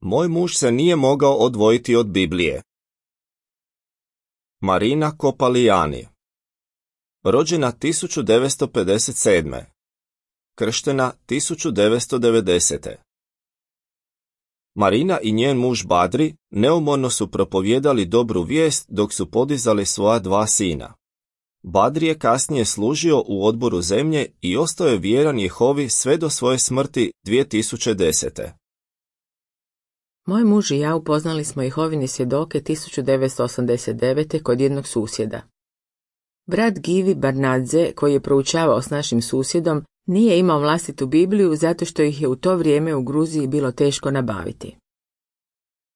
Moj muž se nije mogao odvojiti od Biblije. Marina Kopalijani. Rođena 1957. Krštena 1990. Marina i njen muž Badri neumorno su propovijedali dobru vijest dok su podizali svoja 2 sina. Badri je kasnije služio u Odboru zemlje i ostao je vjeran Jehovi sve do svoje smrti 2010. Moj muž i ja upoznali smo Jehovine svjedoke 1989. kod jednog susjeda. Brat Givi Barnadze, koji je proučavao s našim susjedom, nije imao vlastitu Bibliju zato što ih je u to vrijeme u Gruziji bilo teško nabaviti.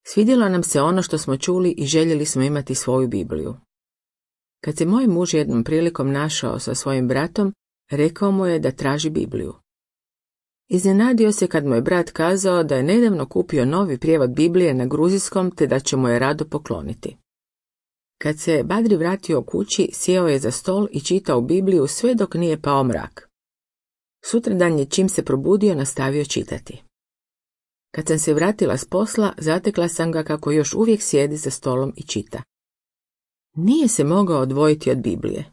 Svidjelo nam se ono što smo čuli i željeli smo imati svoju Bibliju. Kad se moj muž jednom prilikom našao sa svojim bratom, rekao mu je da traži Bibliju. Iznenadio se kad mu je brat kazao da je nedavno kupio novi prijevod Biblije na gruzijskom te da će mu je rado pokloniti. Kad se Badri vratio kući, sjeo je za stol i čitao Bibliju sve dok nije pao mrak. Sutradan je čim se probudio nastavio čitati. Kad sam se vratila s posla, zatekla sam ga kako još uvijek sjedi za stolom i čita. Nije se mogao odvojiti od Biblije.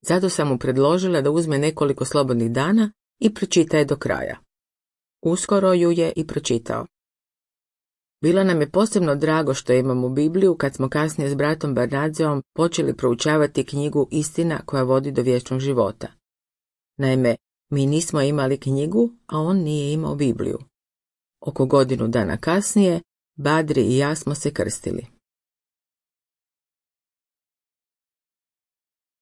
Zato sam mu predložila da uzme nekoliko slobodnih dana i pročita je do kraja. Uskoro ju je i pročitao. Bilo nam je posebno drago što imamo Bibliju kad smo kasnije s bratom Barnadzeom počeli proučavati knjigu Istina koja vodi do vječnog života. Naime, mi nismo imali knjigu, a on nije imao Bibliju. Oko godinu dana kasnije, Badri i ja smo se krstili.